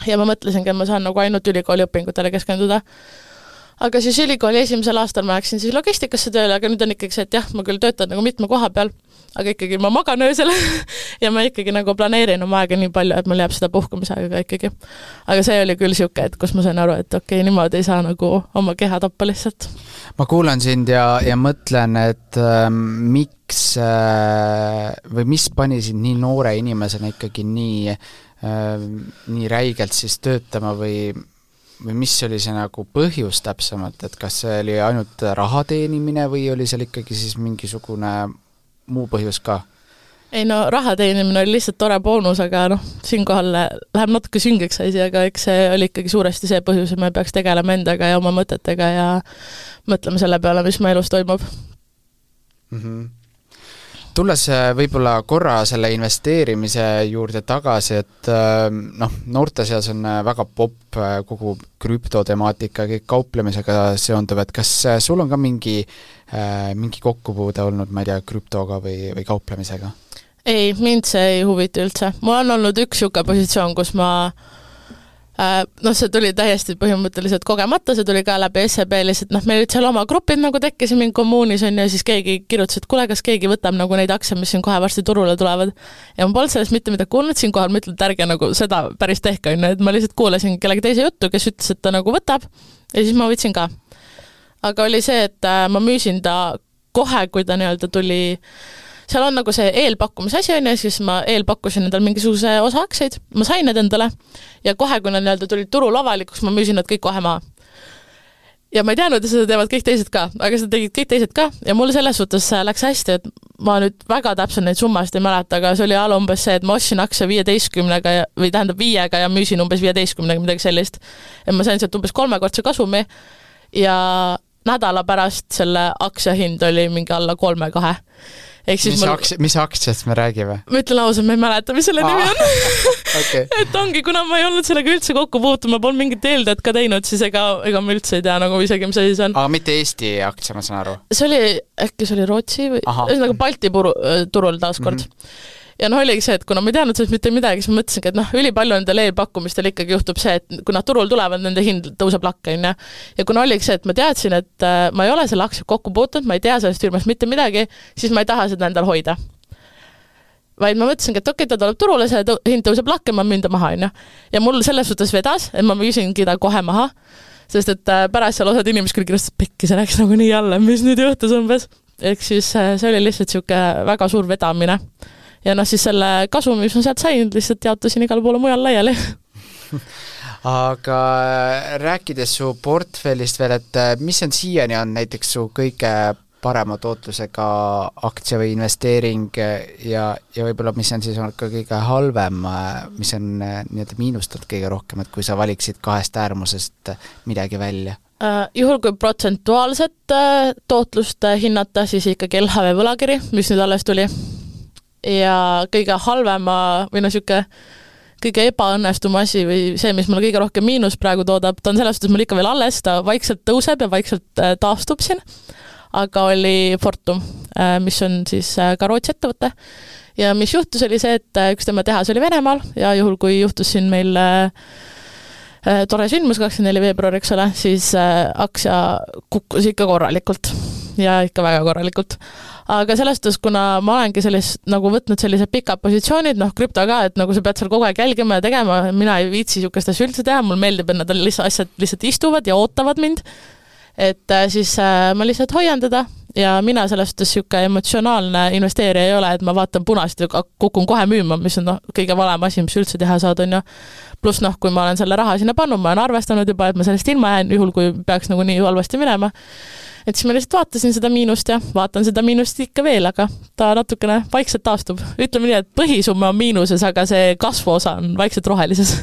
Ja ma mõtlesingi, et ma saan nagu ainult ülikooli õpingutele keskenduda. Aga siis ülikooli esimesel aastal ma läksin siis logistikasse tööle, aga nüüd on ikkagi see, et jah, ma küll töötan nagu mitme koha peal, aga ikkagi ma magan öösel ja ma ikkagi nagu planeerin oma aega nii palju, et mul jääb seda puhkumisaega ikkagi. Aga see oli küll siuke, et kus ma sain aru, et okei, niimoodi ei saa nagu oma keha tappa lihtsalt. Ma kuulan sind ja mõtlen, et miks või mis pani sind nii noore inimesena ikkagi nii räigelt siis töötama või mis oli see nagu põhjus täpsemalt, et kas see oli ainult raha teenimine või oli seal ikkagi siis mingisugune muu põhjus ka? ei no raha teenimine oli lihtsalt tore boonus, aga noh, siinkohal läheb natuke süngeks asi, aga eks see oli ikkagi suuresti see põhjus, et me peaks tegelema endaga ja oma mõtetega ja mõtlema selle peale, mis me elus toimub. Tulles võib-olla korra selle investeerimise juurde tagasi, et noorte seas on väga popp kogu krüptotemaatika, kõik kauplemisega seonduv, et kas sul on ka mingi kokkupuude olnud, ma ei tea, krüptoga või kauplemisega? Ei, mind see ei huvita üldse. Mul on olnud üks siuke positsioon, kus ma see tuli täiesti põhimõtteliselt kogemata, see tuli ka läbi SEB lihtsalt, meil olid seal oma grupid nagu tekkis mingi kommuunis on ja siis keegi kirjutas, et kuule, kas keegi võtab nagu neid aktsiaid, mis siin kohe varsti turule tulevad. Ja ma polnud sellest mitte midagi kuulnud, siinkohal ma ütlen, et ärge nagu seda päris tehka, et ma lihtsalt kuulasin kellegi teise juttu, kes ütles, et ta nagu võtab ja siis ma võtsin ka. Aga oli see, et ma müüsin ta kohe, kui ta nii-öelda tuli. Seal on nagu see eelpakkumise asi on ja siis ma eelpakkusin endal mingisuguse osa aktsiaid, ma sain need endale ja kohe, kui nad nii-öelda tulid turul avalikuks, ma müüsin nad kõik kohe maha. Ja ma ei teadnud, et seda teevad kõik teised ka, aga seda tegid kõik teised ka ja mul selles suhtes läks hästi, et ma nüüd väga täpselt neid summast ei mäleta, aga see oli umbes see, et ma ostsin aktsia 15-ga või tähendab 5-ga ja müüsin umbes 15-ga midagi sellist. Ja ma sain sealt umbes 3-kordse kasumi ja nädala pärast selle aktsia hind oli mingi alla 3-2. Mis aktsiast me räägime? Ma ütlen ausalt, ma ei mäleta, mis selle nimi on. Okay. Et ongi, kuna ma ei olnud sellega üldse kokku puutud, ma polnud mingit eeldajat ka teinud, siis ega ma üldse ei tea nagu isegi, mis asi see on. Aga mitte Eesti aktsia, ma saan aru? Äkki see oli Rootsi või nagu Balti turul taaskord. Ja oligi see, et kuna ma ei teadnud sellest mitte midagi, siis ma mõtlesingi, et ülipalju nendel eelpakkumistel ikkagi juhtub see, et kui nad turul tulevad, nende hind tõuseb lakke. Ja kuna oligi see, et ma teadsin, et ma ei ole selle aktsia kokku puutunud, ma ei tea sellest firmast mitte midagi, siis ma ei taha seda endal hoida. Vaid ma mõtlesingi, et okei, ta tuleb turule, see hind tõuseb lakke, ma müün ta maha. Ja mul selles suhtes vedas, et ma müüsingi ta kohe maha, sest et pärast seal osad inimesed küll kirjast, et pekki, see läks nagu nii alla, mis nüüd juhtus umbes. Ehk siis see oli lihtsalt siuke väga suur vedamine. Ja siis selle kasumi, mis ma sealt sain, lihtsalt jaotasin igal poole mujal laiali. Aga rääkides su portfellist veel, et mis on siiani on näiteks su kõige parema tootlusega aktsia või investeering ja võib-olla mis on siis olnud ka kõige halvem, mis on nii-öelda miinustanud kõige rohkem, et kui sa valiksid kahest äärmusest midagi välja? Juhul kui protsentuaalset tootlust hinnata, siis ikkagi LHV võlakiri, mis nüüd alles tuli. Ja kõige halvema või siuke kõige ebaõnnestuma asi või see, mis mulle kõige rohkem miinus praegu toodab, ta on selles suhtes mul ikka veel alles, ta vaikselt tõuseb ja vaikselt taastub siin, aga oli Fortum, mis on siis ka Rootsi ettevõte ja mis juhtus oli see, et üks tema tehas oli Venemaal ja juhul kui juhtus siin meil tore sündmus 24 veebruar, eks ole, siis aktsia kukkus ikka korralikult ja ikka väga korralikult. Aga sellest, kuna ma olengi nagu võtnud sellised pikad positsioonid, krüpto ka, et nagu sa pead seal kogu aeg jälgima ja tegema, mina ei viitsi siukest asja üldse teha, mul meeldib, et nad asjad lihtsalt istuvad ja ootavad mind, et siis ma lihtsalt hoian teda ja mina sellest siuke emotsionaalne investeerija ei ole, et ma vaatan punast ja kukun kohe müüma, mis on kõige valem asi, mis üldse teha saad, on ju. Plus kui ma olen selle raha sinna pannud, ma olen arvestanud juba, et ma sellest ilma jään, juhul kui peaks nagu nii halvasti minema. Et siis ma lihtsalt vaatasin seda miinust ja vaatan seda miinust ikka veel, aga ta natukene vaikselt taastub. Ütleme nii, et põhisumma on miinuses, aga see kasvuosa on vaikselt rohelises.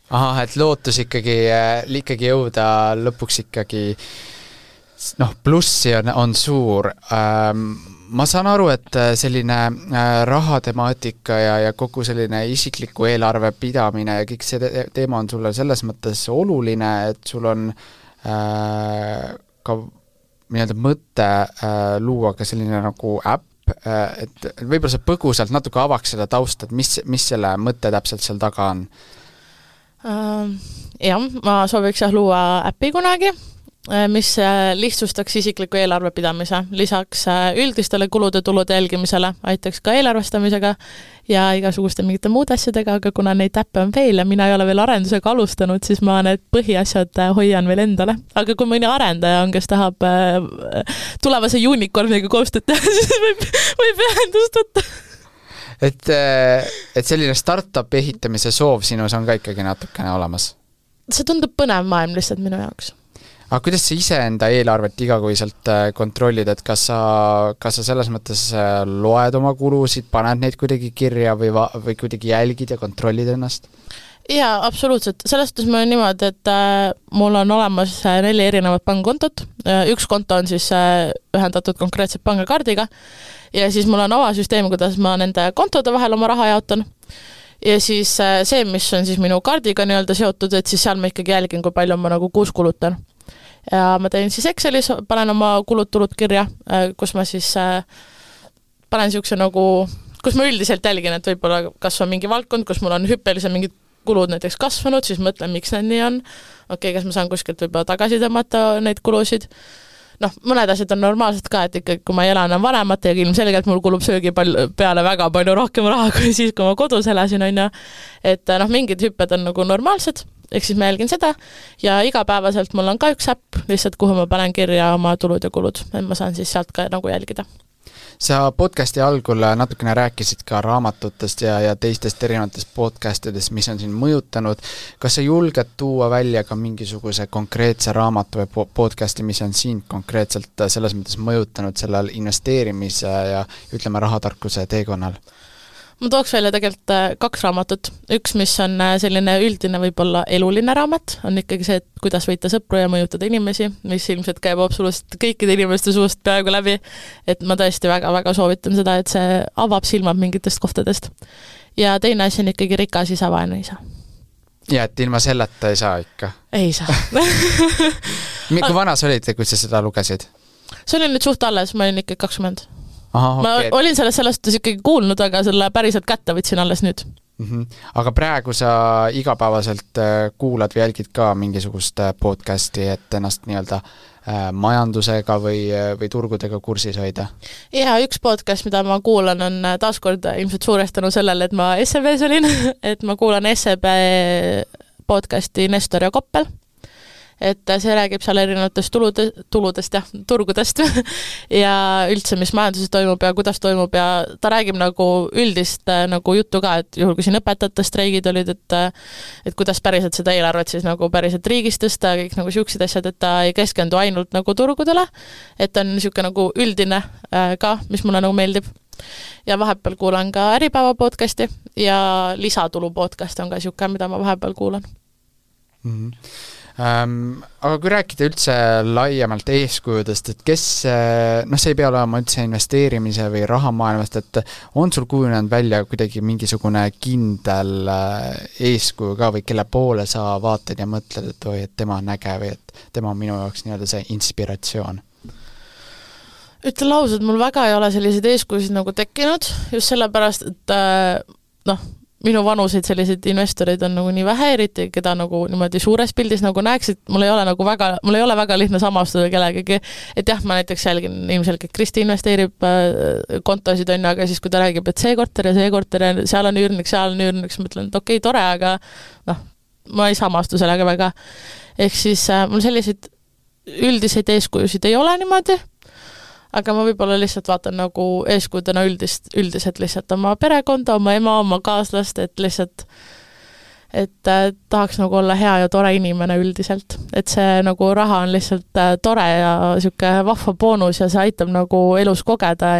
Et lootus ikkagi jõuda lõpuks ikkagi plussi on suur. Ma saan aru, et selline rahatemaatika ja kogu selline isikliku eelarve pidamine ja kõik see teema on sulle selles mõttes oluline, et sul on ka nii-öelda mõte luua ka selline nagu äpp, et võib-olla sa põgusalt natuke avaks seda tausta, et mis selle mõte täpselt seal taga on? Jah, ma sooviks luua äppi kunagi, mis lihtsustaks isikliku eelarve pidamise, lisaks üldistele kulude-tulude jälgimisele, aitaks ka eelarvestamisega ja igasuguste mingite muud asjadega, aga kuna neid äppe on veel ja mina ei ole veel arendusega alustanud, siis ma need põhiasjad hoian veel endale. Aga kui mõni arendaja on, kes tahab tulevase unicorniga koostööd teha, siis võib ühendust võtta. Et selline startup ehitamise soov sinus on ka ikkagi natukene olemas? See tundub põnev maailm lihtsalt minu jaoks. aga kuidas sa ise enda eelarvet igakuiselt kontrollid, et kas sa selles mõttes loed oma kulusid, paned neid kuidagi kirja või kuidagi jälgid ja kontrollid ennast? Jaa, absoluutselt. Selles suhtes mul on niimoodi, et mul on olemas 4 erinevat pangakontot. Üks konto on siis ühendatud konkreetselt pangakaardiga ja siis mul on avasüsteem, kuidas ma nende kontode vahel oma raha jaotan. Ja siis see, mis on siis minu kaardiga nii-öelda seotud, et siis seal ma ikkagi jälgin, kui palju ma nagu kuus kulutan. Ja ma teen siis Excelis, panen oma kulud-tulud kirja, kus ma siis panen siukse nagu, kus ma üldiselt jälgin, et võib-olla kas on mingi valdkond, kus mul on hüppeliselt mingid kulud näiteks kasvanud, siis mõtlen, miks need nii on. Okei, kas ma saan kuskilt võib-olla tagasi tõmmata neid kulusid. Mõned asjad on normaalsed ka, et ikkagi, kui ma ei ela enam vanemate ja ilmselgelt mul kulub söögi peale väga palju rohkem raha kui siis, kui ma kodus elasin, on ja. Et mingid hüpped on nagu normaalsed, ehk siis ma jälgin seda ja igapäevaselt mul on ka üks äpp, lihtsalt kuhu ma panen kirja oma tulud ja kulud, et ma saan siis sealt ka nagu jälgida. Sa podcasti algul natukene rääkisid ka raamatutest ja teistest erinevatest podcastidest, mis on siin mõjutanud. Kas sa julged tuua välja ka mingisuguse konkreetse raamatu või podcasti, mis on siin konkreetselt selles mõttes mõjutanud sellel investeerimise ja ütleme rahatarkuse teekonnal? Ma tooks välja tegelikult 2 raamatut. Üks, mis on selline üldine võib-olla eluline raamat, on ikkagi see, et kuidas võita sõpru ja mõjutada inimesi, mis ilmselt käib absoluutselt kõikide inimeste suust peaaegu läbi. Et ma tõesti väga-väga soovitan seda, et see avab silmad mingitest kohtadest. Ja teine asi on ikkagi rikas isa, vaene isa. Ja, et ilma selleta ei saa ikka? Ei saa. Kui vana sa olid, kui sa seda lugesid? See oli nüüd suht alles, ma olin ikka 20. Aha, ma olin sellest ikkagi kuulnud, aga selle päriselt kätte võtsin alles nüüd. Aga praegu sa igapäevaselt kuulad või jälgid ka mingisugust podcasti, et ennast nii-öelda majandusega või turgudega kursis hoida? Ja üks podcast, mida ma kuulan, on taaskord ilmselt suurestanud sellele, et ma SEB-s olin, et ma kuulan SEB podcasti Nestor ja Koppel. Et see räägib seal erinevatest tuludest ja turgudest ja üldse, mis majanduses toimub ja kuidas toimub ja ta räägib nagu üldist nagu juttu ka, et juhul kui siin õpetajate streigid olid, et kuidas päriselt seda eelarvet siis nagu päriselt riigist tõsta, kõik nagu siuksed asjad, et ta ei keskendu ainult nagu turgudele, et on niisugune nagu üldine ka, mis mulle nagu meeldib. Ja vahepeal kuulan ka Äripäeva podcasti ja Lisatulu podcast on ka siuke, mida ma vahepeal kuulan. Aga kui rääkida üldse laiemalt eeskujudest, et kes, see ei pea olema üldse investeerimise või rahamaailmast, et on sul kujunenud välja kuidagi mingisugune kindel eeskuju ka või kelle poole sa vaatad ja mõtled, et oi, et tema on äge või et tema on minu jaoks nii-öelda see inspiratsioon? Ütlen ausalt, mul väga ei ole selliseid eeskujusid nagu tekkinud, just sellepärast, et minu vanuseid selliseid investoreid on nagu nii vähe, eriti keda nagu niimoodi suures pildis nagu näeksid, mul ei ole väga lihtne samastuda kellegagi, et jah, ma näiteks jälgin ilmselgelt Kristi investeerib kontosid on, aga siis kui ta räägib, et see korter ja seal on üürnik, mõtlen, et okei, tore, aga ma ei samastu sellega väga. Ehk siis mul selliseid üldiseid eeskujusid ei ole niimoodi, aga ma võib-olla lihtsalt vaatan nagu eeskudena üldiselt lihtsalt oma perekonda, oma ema, oma kaaslast, et lihtsalt tahaks nagu olla hea ja tore inimene üldiselt. Et see nagu raha on lihtsalt tore ja siuke vahva boonus ja see aitab nagu elus kogeda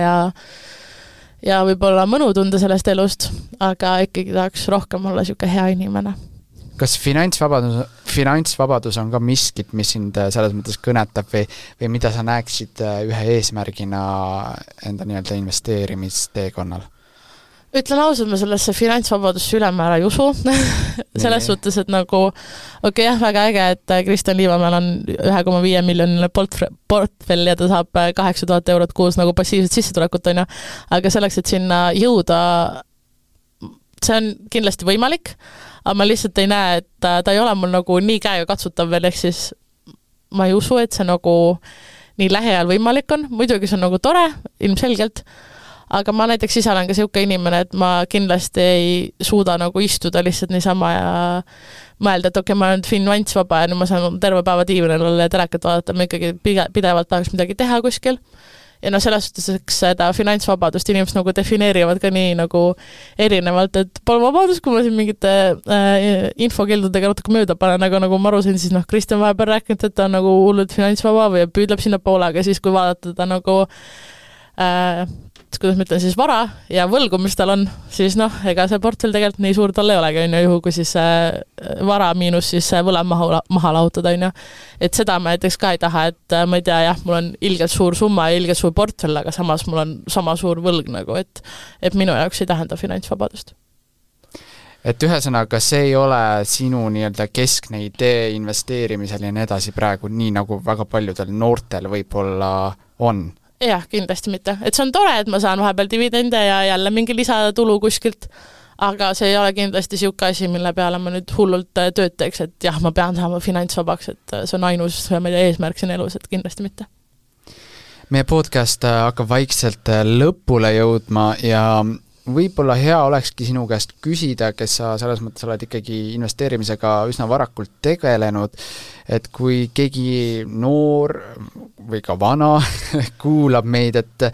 ja võib-olla mõnu tunda sellest elust, aga ikkagi tahaks rohkem olla siuke hea inimene. Kas finantsvabadus on ka miskit, mis sind selles mõttes kõnetab või mida sa näeksid ühe eesmärgina enda nii-öelda investeerimisteekonnal? Ütlen ausalt, ma sellesse finantsvabadusse ülemäära ei usu. Selles suhtes, et nagu jah, väga äge, et Kristjan Liivamäel on 1,5 miljoniline portfell ja ta saab 8000 eurot kuus nagu passiivset sissetulekut, on ja. Aga selleks, et sinna jõuda, see on kindlasti võimalik, aga ma lihtsalt ei näe, et ta ei ole mul nagu nii käega katsutav veel, ehk siis ma ei usu, et see nagu nii lähiajal võimalik on. Muidugi see on nagu tore, ilmselgelt, aga ma näiteks ise olen ka siuke inimene, et ma kindlasti ei suuda nagu istuda lihtsalt niisama ja mõelda, et okei, ma olen finantsvaba ja nüüd ma saan terve päeva diivanil olla ja telekat vaadata, ma ikkagi pidevalt tahaks midagi teha kuskil. ja noh, selles suhtes, eks seda finantsvabadust inimesed nagu defineerivad ka nii nagu erinevalt, et pole vabadus, kui ma siin mingite infokildudega natuke mööda panen, aga nagu ma aru sain, siis noh, Kristjan vahepeal rääkinud, et ta on nagu hullult finantsvaba või püüdleb sinna poole, aga siis kui vaadata ta nagu kuidas ma ütlen siis vara ja võlgu, mis tal on, siis noh, ega see portfell tegelikult nii suur tal ei olegi, on ju, juhu, kui siis vara miinus siis võlad maha lahutada, on ju. Et seda ma näiteks ka ei taha, et ma ei tea, jah, mul on ilgelt suur summa ja ilgelt suur portfell, aga samas mul on sama suur võlg nagu, et minu jaoks ei tähenda finantsvabadust. Et ühesõnaga, see ei ole sinu nii-öelda keskne idee investeerimisel ja nii edasi praegu, nii nagu väga paljudel noortel võib-olla on? Jah, kindlasti mitte. Et see on tore, et ma saan vahepeal dividende ja jälle mingi lisatulu kuskilt, aga see ei ole kindlasti siuke asi, mille peale ma nüüd hullult tööd teeks, et jah, ma pean saama finantsvabaks, et see on ainus eesmärk siin elus, et kindlasti mitte. Meie podcast hakkab vaikselt lõpule jõudma ja võib-olla hea olekski sinu käest küsida, kes sa selles mõttes oled ikkagi investeerimisega üsna varakult tegelenud, et kui keegi noor või ka vana kuulab meid, et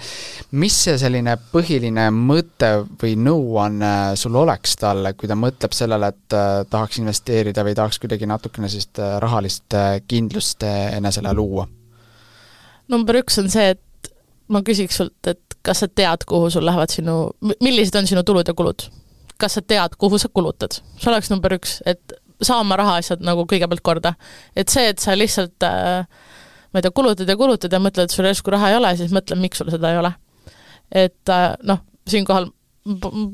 mis see selline põhiline mõte või nõuanne sul oleks talle, kui ta mõtleb sellele, et tahaks investeerida või tahaks kuidagi natukene sellist rahalist kindlust enesele luua? Number 1 on see, et ma küsiks sult, et kas sa tead, kuhu sul lähevad millised on sinu tulud ja kulud? Kas sa tead, kuhu sa kulutad? See oleks number 1, et saa oma rahaasjad nagu kõigepealt korda. Et see, et sa lihtsalt ma ei tea, kulutad ja mõtled, et sul järsku raha ei ole, siis mõtle, miks sul seda ei ole. Et noh, siinkohal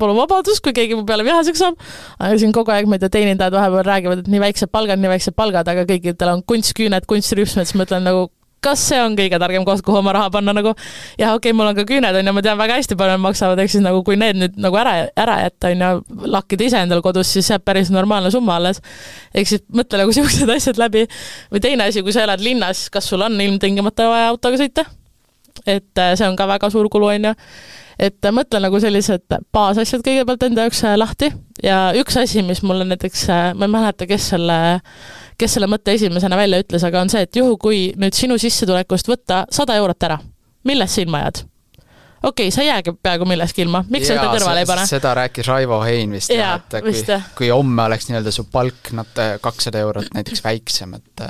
pole vabadus, kui keegi mu peale vihaseks saab, aga siin kogu aeg, ma ei tea, teenindajad vahepeal räägivad, et nii väiksed palgad, aga kõigidel on kunstküüned, kunstrüpsmed, siis mõtlen nagu, kas see on kõige targem koht, kuhu oma raha panna nagu, ja okei, mul on ka küüned, on ja ma tean väga hästi palju maksavad, eks siis nagu kui need nüüd nagu ära jätta, on ja lakkida ise endal kodus, siis jääb päris normaalne summa alles. Eks siis mõtle nagu siuksed asjad läbi. Või teine asi, kui sa elad linnas, kas sul on ilmtingimata vaja autoga sõita? Et see on ka väga suur kulu, on ja. Et mõtle nagu sellised baasasjad kõigepealt enda jaoks lahti ja üks asi, mis mulle näiteks, ma ei mäleta, kes selle mõtte esimesena välja ütles, aga on see, et juhu, kui nüüd sinu sissetulekust võtta 100 eurot ära, millest sa ilma jääd? Okei, sa jäägi peaaegu milleski ilma, miks sa seda kõrvale ei pane? Seda rääkis Raivo Hein vist, et kui homme oleks nii-öelda su palk 200 eurot näiteks väiksem, et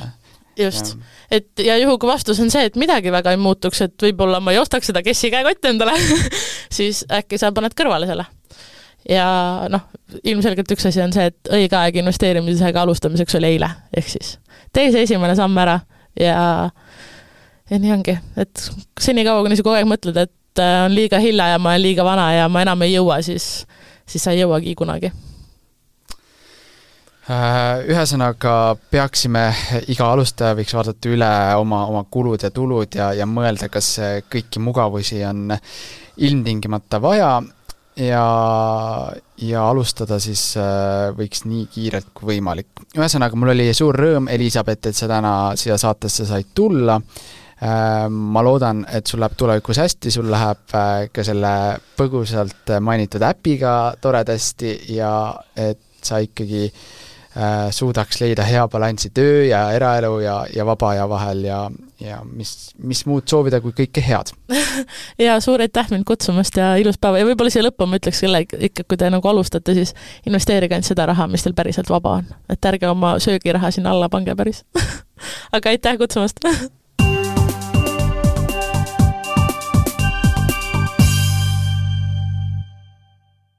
just, et ja juhu, kui vastus on see, et midagi väga ei muutuks, et võib-olla ma ei ostaks seda Kessi käekotti endale, siis äkki sa paned kõrvale selle. Ja noh, ilmselgelt üks asi on see, et õige aeg investeerimisega alustamiseks oli eile, ehk siis tee see esimene samm ära ja nii ongi, et senikaua, kui kogu aeg mõtled, et on liiga hilja ja ma olen liiga vana ja ma enam ei jõua, siis sa ei jõuagi kunagi. Ühesõnaga peaksime, iga alustaja võiks vaadata üle oma kulud ja tulud ja mõelda, kas kõiki mugavusi on ilmtingimata vaja ja alustada siis võiks nii kiirelt kui võimalik. Ühesõnaga, mul oli suur rõõm, Elisabeth, et sa täna siia saatesse said tulla. Ma loodan, et sul läheb tulevikus hästi, sul läheb ka selle põgusalt mainitud äpiga toredasti ja et sa ikkagi suudaks leida hea balanssi töö ja eraelu ja vaba aja vahel ja mis muud soovida kui kõike head. Ja suur aitäh mind kutsumast ja ilus päeva ja võib-olla siia lõppu ma ütleks selle ikka, kui te nagu alustate, siis investeerige ainult seda raha, mis teil päriselt vaba on. Et ärge oma söögiraha sinna alla pange päris. Aga aitäh kutsumast!